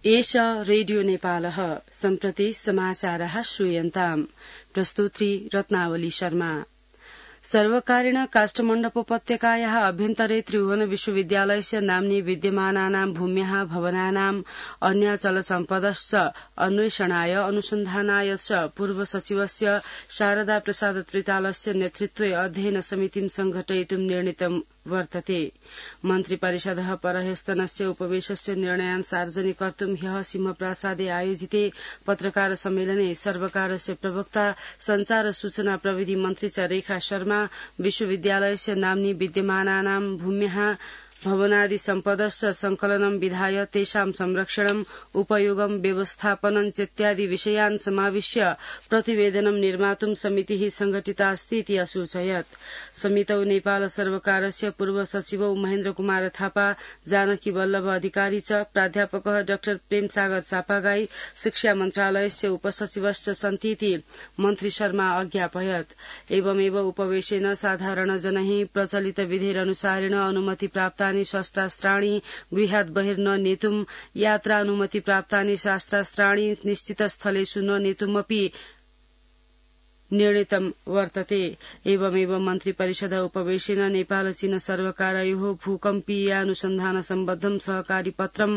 एष रेडियो नेपालः सम्प्रति समाचारः श्रूयन्ताम् प्रस्तुत्री रत्नावली शर्मा। सर्वकारेण काष्ठमण्डपोपत्यकायाः अभ्यन्तरे त्रिभुवन विश्वविद्यालयस्य नाम्नि विद्यमानानां भूम्याः भवनानाम् अन्याचलसम्पदश्च अन्वेषणाय अनुसन्धानाय च पूर्वसचिवस्य शारदा प्रसाद त्रितालस्य नेतृत्वे अध्ययन समितिं संघटयितुं निर्णीतं वर्तते। मन्त्रिपरिषदः परह्यस्तनस्य उपवेशस्य निर्णयान् सार्वजनिकर्तुं ह्यः सिंहप्रासादे आयोजिते पत्रकार सम्मेलने सर्वकारस्य प्रवक्ता संचार सूचना प्रविधि मन्त्री च रेखा शर्मा विश्वविद्यालयस्य नाम्नि विद्यमानानां भूम्याः भवनादि सम्पदश्च संकलनं विधाय तेषां संरक्षणम् उपयोगं व्यवस्थापनं चेत्यादि विषयान् समाविश्य प्रतिवेदनं निर्मातुं समितिः संघटितास्ति इति असूचयत्। समितौ नेपाल सर्वकारस्य पूर्व सचिवौ महेन्द्र कुमार थापा, जानकी वल्लभ अधिकारी च प्राध्यापकः डाक्टर प्रेमसागर चापागाई, शिक्षा मन्त्रालयस्य उपसचिवश्च सन्ति इति मन्त्री शर्मा अज्ञापयत्। एवमेव उपवेशेन साधारण जनैः प्रचलित विधिरनुसारेण अनुमति प्राप्त शस्त्रास्त्राणि गृहात् बहिर् न नेतुम्, यात्रानुमति प्राप्तानि शस्त्रास्त्राणि निश्चित स्थलेषु न नेतुमपि निर्णीतं वर्तते। एवमेव मन्त्रिपरिषद उपवेशेन नेपाल चीन सर्वकारयोः भूकम्पीयानुसन्धान सम्बद्धं सहकारी पत्रं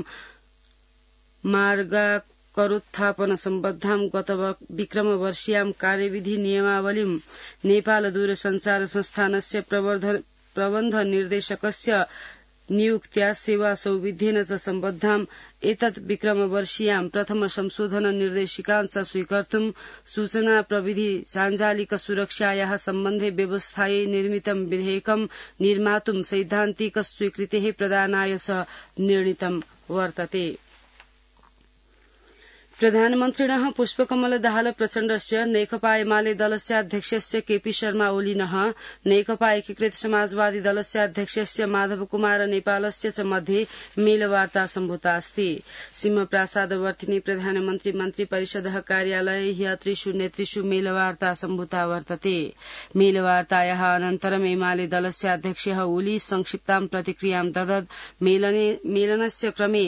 मार्गाकरोत्थापन सम्बद्धां गत विक्रमवर्षीयां कार्यविधि नियमावलीं नेपाल दूरसञ्चार संस्थानस्य प्रबन्ध निर्देशकस्य नियुक्त्या सेवा सौविध्येन च सम्बद्धाम् एतत् विक्रमवर्षीयां प्रथम संशोधन निर्देशिकान् च स्वीकर्तुं सूचना प्रविधि साञ्जालिक सुरक्षायाः सम्बन्धे व्यवस्थायै निर्मितं विधेयकं निर्मातुं सैद्धान्तिक स्वीकृतेः प्रदानाय च निर्णीतं वर्तते। प्रधानमन्त्रिणः पुष्पकमल दाहाल प्रचण्डस्य नेकपा एमाले दलस्य अध्यक्षस्य केपी शर्मा ओलीनः नेकपा एकीकृत समाजवादी दलस्य अध्यक्षस्य माधव कुमार नेपालस्य च मध्ये मेलवार्ता सम्भूता अस्ति। सिंहप्रासादवर्तिनि प्रधानमन्त्री मन्त्रिपरिषदः कार्यालये ह्यः त्रिषु नेतृषु मेलवार्ता सम्भूता वर्तते। मेलवार्तायाः अनन्तरम् एमाले दलस्य अध्यक्षः ओली संक्षिप्तां प्रतिक्रियां ददत्। मेलनस्य क्रमे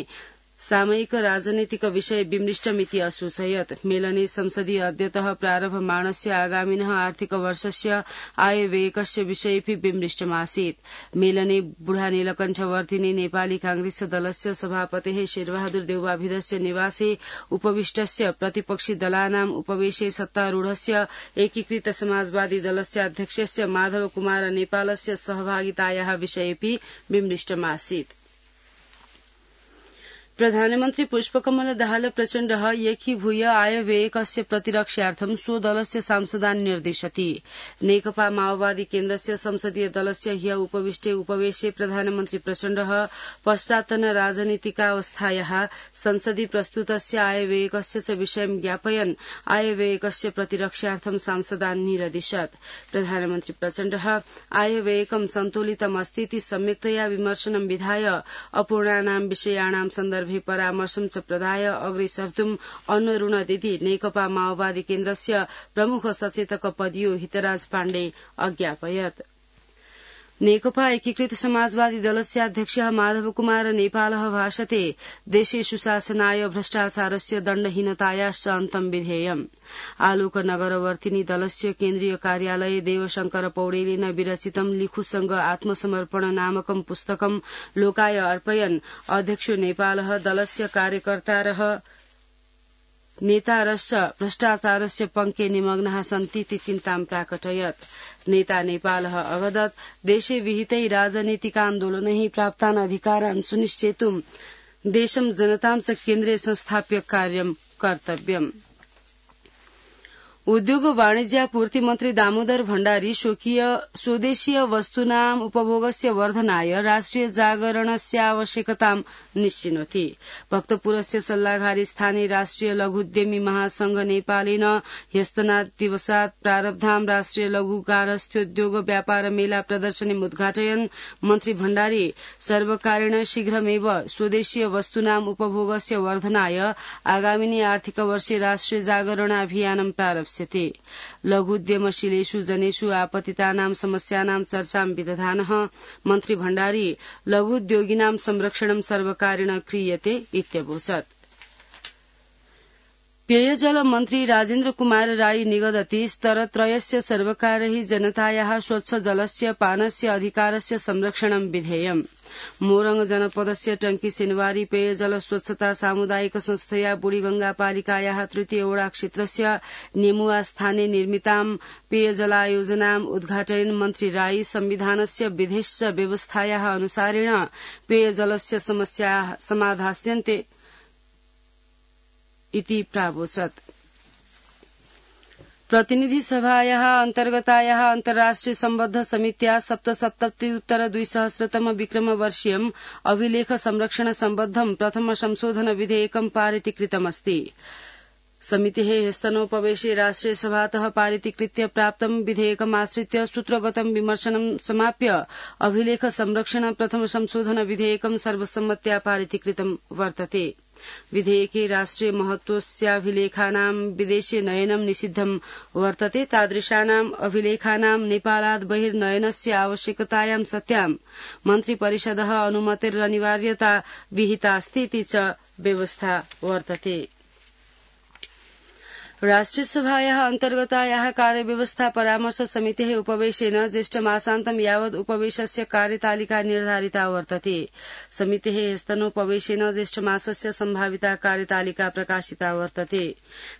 सामयिक राजनीतिक विषय विमृष्टमिति असूचयत्। मेलने संसदीय अद्यतः प्रारभमाणस्य आगामिनः आर्थिक वर्षस्य आयव्ययकस्य विषयेऽपि विमृष्टमासीत्। मेलने बुढा नीलकण्ठवर्तिनि नेपाली कांग्रेस दलस्य सभापतेः शेरबहादुर देउवाभिधस्य निवासे उपविष्टस्य प्रतिपक्षी दलानाम् उपवेशे सत्तारूढस्य एकीकृत समाजवादी दलस्य अध्यक्षस्य माधव कुमार नेपालस्य सहभागितायाः विषयेऽपि विमृष्टमासीत्। प्रधानमन्त्री पुष्पकमल दाहाल प्रचण्डः एकीभूय आयव्ययकस्य प्रतिरक्षार्थं स्वदलस्य सांसदान् निर्दिशति। नेकपा माओवादी केन्द्रस्य संसदीय दलस्य ह्यः उपविष्टे उपवेशे प्रधानमन्त्री प्रचण्डः पश्चात्तन राजनीतिकावस्थायाः संसदि प्रस्तुतस्य आयव्ययकस्य च विषयं ज्ञापयन् आयव्ययकस्य प्रतिरक्षार्थं सांसदान् निरदिशत्। प्रधानमन्त्री प्रचण्डः आयव्ययकं सन्तुलितमस्ति इति सम्यक्तया विमर्शनं विधाय अपूर्णानां विषयाणां सन्दर्भे परामर्शं च प्रदाय अग्रे सर्तुम् अन्नऋण दिदी नेकपा माओवादी केन्द्रस्य प्रमुख सचेतक पदियो हितराज पाण्डे अज्ञापयत्। नेकपा एकीकृत समाजवादी दलस्य अध्यक्षः माधव कुमार नेपालः भाषते देशे सुशासनाय भ्रष्टाचारस्य दण्डहीनतायाश्च अन्तं विधेयम्। आलोकनगरवर्तिनि दलस्य केन्द्रीय कार्यालये देवशंकर पौडेलेन विरचितं लिखुसंग आत्मसमर्पण नामकं पुस्तकं लोकाय अर्पयन् अध्यक्षो नेपालः दलस्य कार्यकर्तारः नेतारश्च भ्रष्टाचारस्य पङ्के निमग्नाः सन्ति इति चिन्तां प्राकटयत्। नेता नेपालः अवदत् देशे विहितै राजनीतिकान्दोलनैः प्राप्तान् अधिकारान् सुनिश्चेतुं देशं जनतां च केन्द्रे संस्थाप्य कार्यं कर्तव्यम्। उद्योग वाणिज्यापूर्ति मन्त्री दामोदर भण्डारी स्वदेशीय वस्तूनाम् उपभोगस्य वर्धनाय राष्ट्रिय जागरणस्य आवश्यकतां निश्चिनोति। भक्तपुरस्य सल्लाघारी स्थाने राष्ट्रिय लघुद्यमी महासंघ नेपालेन ह्यस्तनात् दिवसात् प्रारब्धां राष्ट्रिय लघु गारस्थ्योद्योग व्यापार मेला प्रदर्शनीम् उद्घाटयन् मन्त्री भण्डारी सर्वकारेण शीघ्रमेव स्वदेशीय वस्तूनाम् उपभोगस्य वर्धनाय आगामिनि आर्थिक वर्षे राष्ट्रिय जागरणाभियानं प्रारप्स्यते। लघुद्यमशीलेषु जनेषु आपतितानां समस्यानां चर्चां विदधानः मन्त्री भण्डारी लघुद्योगिनां संरक्षणं सर्वकारेण क्रियते इत्यवोचत्। पेयजल मन्त्री राजेन्द्र कुमार राई निगदति स्तरत्रयस्य सर्वकारैः जनतायाः स्वच्छ जलस्य पानस्य अधिकारस्य संरक्षणं विधेयम्। मोरङ जनपदस्य टंकी सिनवारी पेयजल स्वच्छता सामुदायिक संस्थया बुढीगंगा पालिकायाः तृतीय वडा क्षेत्रस्य नेमुवा स्थाने निर्मितां पेयजलायोजनाम् उद्घाटयन् मन्त्री राई संविधानस्य विधिश्च व्यवस्थायाः अनुसारेण पेयजलस्य समस्याः समाधास्यन्ते इति प्रावोचत्। प्रतिनिधि सभायाः अन्तर्गतायाः अन्तर्राष्ट्रिय सम्बद्ध समित्या 77-200 विक्रमवर्षीयम् अभिलेख संरक्षण सम्बद्धं प्रथम संशोधन विधेयकं पारितीकृतमस्ति। समितेः ह्यस्तनोपवेशे राष्ट्रियसभातः पारितीकृत्य प्राप्तं विधेयकमाश्रित्य सूत्रगतं विमर्शनं समाप्य अभिलेख संरक्षण प्रथम संशोधन विधेयकं सर्वसम्मत्या पारितीकृतं वर्तते। विधेयके राष्ट्रिय महत्वस्याभिलेखानां विदेशे नयनं निषिद्धं वर्तते। तादृशानाम् अभिलेखानां नेपालात् बहिर्नयनस्य आवश्यकतायां सत्यां मन्त्रिपरिषदः अनुमतिरनिवार्यता विहितास्ति इति च व्यवस्था वर्तते। राष्ट्रियसभायाः अन्तर्गतायाः कार्यव्यवस्था परामर्श समितेः उपवेशेन ज्येष्ठमासान्तं यावत् उपवेशस्य कार्यतालिका निर्धारिता वर्तते। समितेः ह्यस्तनोपवेशेन ज्येष्ठमासस्य सम्भाविता कार्यतालिका प्रकाशिता वर्तते।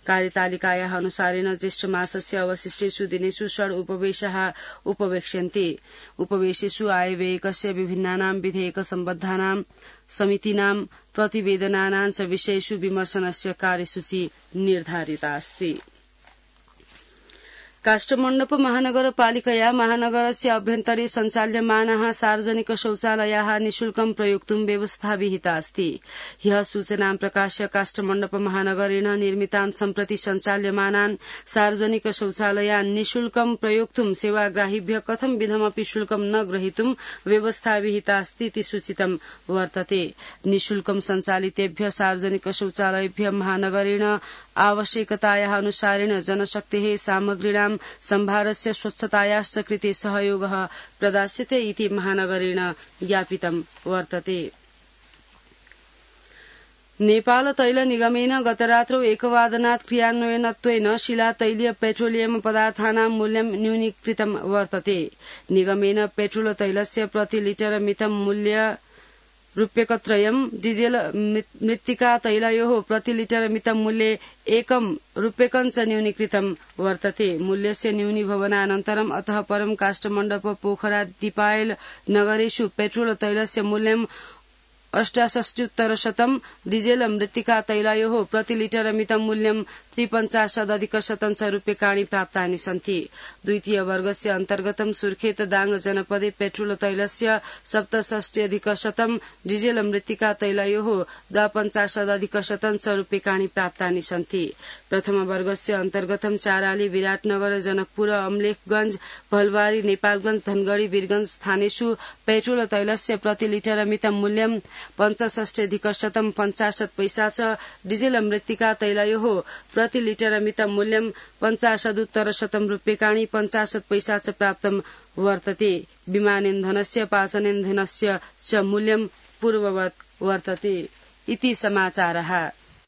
कार्यतालिकायाः अनुसारेण ज्येष्ठमासस्य अवशिष्टेषु दिनेषु षड् उपवेशाः उपवेक्ष्यन्ते। उपवेशेषु आयव्ययकस्य विभिन्नानां विधेयक सम्बद्धानां समितीनां प्रतिवेदनानां च विषयेषु विमर्शनस्य कार्यसूची निर्धारिता अस्ति। काष्ठमण्डप महानगरपालिकया महानगरस्य अभ्यन्तरे सञ्चाल्यमानाः सार्वजनिक शौचालयाः निःशुल्कं प्रयोक्तुं व्यवस्था विहिता अस्ति। ह्यः सूचनां प्रकाश्य काष्ठमण्डप महानगरेण निर्मितान् सम्प्रति सञ्चाल्यमानान् सार्वजनिक शौचालयान् निःशुल्कं प्रयोक्तुं सेवाग्राहिभ्यः कथं विधमपि शुल्कं न ग्रहीतुं व्यवस्था विहिता अस्ति इति सूचितं वर्तते। निःशुल्कं सञ्चालितेभ्यः सार्वजनिक शौचालयेभ्यः महानगरेण आवश्यकतायाः अनुसारेण जनशक्तेः सामग्रीणां सम्भारस्य स्वच्छतायाश्च कृते सहयोगः प्रदास्यते इति महानगरेण ज्ञापितं वर्तते। नेपाल तैल निगमेन गतरात्रौ 1:00 क्रियान्वयनत्वेन शिलातैलीय पेट्रोलियम पदार्थानां मूल्यं न्यूनीकृतं वर्तते। निगमेन पेट्रोल तैलस्य प्रति लिटर मितं मूल्य रूप्यकत्रयम्, डीजेल मृत्तिका तैलयोः प्रति लिटर मितं मूल्ये ₹1 च न्यूनीकृतं वर्तते। मूल्यस्य न्यूनीभवनानन्तरम् अतः परं काष्ठमण्डप पोखरा दीपायल नगरेषु पेट्रोल तैलस्य मूल्यं 68,100, डीजेल मृत्तिका तैलयोः प्रति लिटर मितं मूल्यं 53,100 रूप्यकाणि प्राप्तानि सन्ति। द्वितीय वर्गस्य अन्तर्गतं सुर्खेत दाङ जनपदे पेट्रोल तैलस्य 67,100, डीजेल मृत्तिका तैलयोः 52,100 रूप्यकाणि प्राप्तानि सन्ति। प्रथम वर्गस्य अन्तर्गतं चाराली, विराटनगर, जनकपुर, अमलेखगंज, भलवारी, नेपालगंज, धनगढ़ी, वीरगंज स्थानेषु पेट्रोल तैलस्य प्रति लिटर मितं मूल्यं 65,100 50 पैसा च, डीजेल मृत्तिका तैलयोः प्रति लिटर मितं मूल्यं 50,100 रूप्यकाणि 50 पैसा च प्राप्तं वर्तते। विमानेन्धनस्य पाचनेन्धनस्य च मूल्यं पूर्ववत् वर्तते इति समाचारः।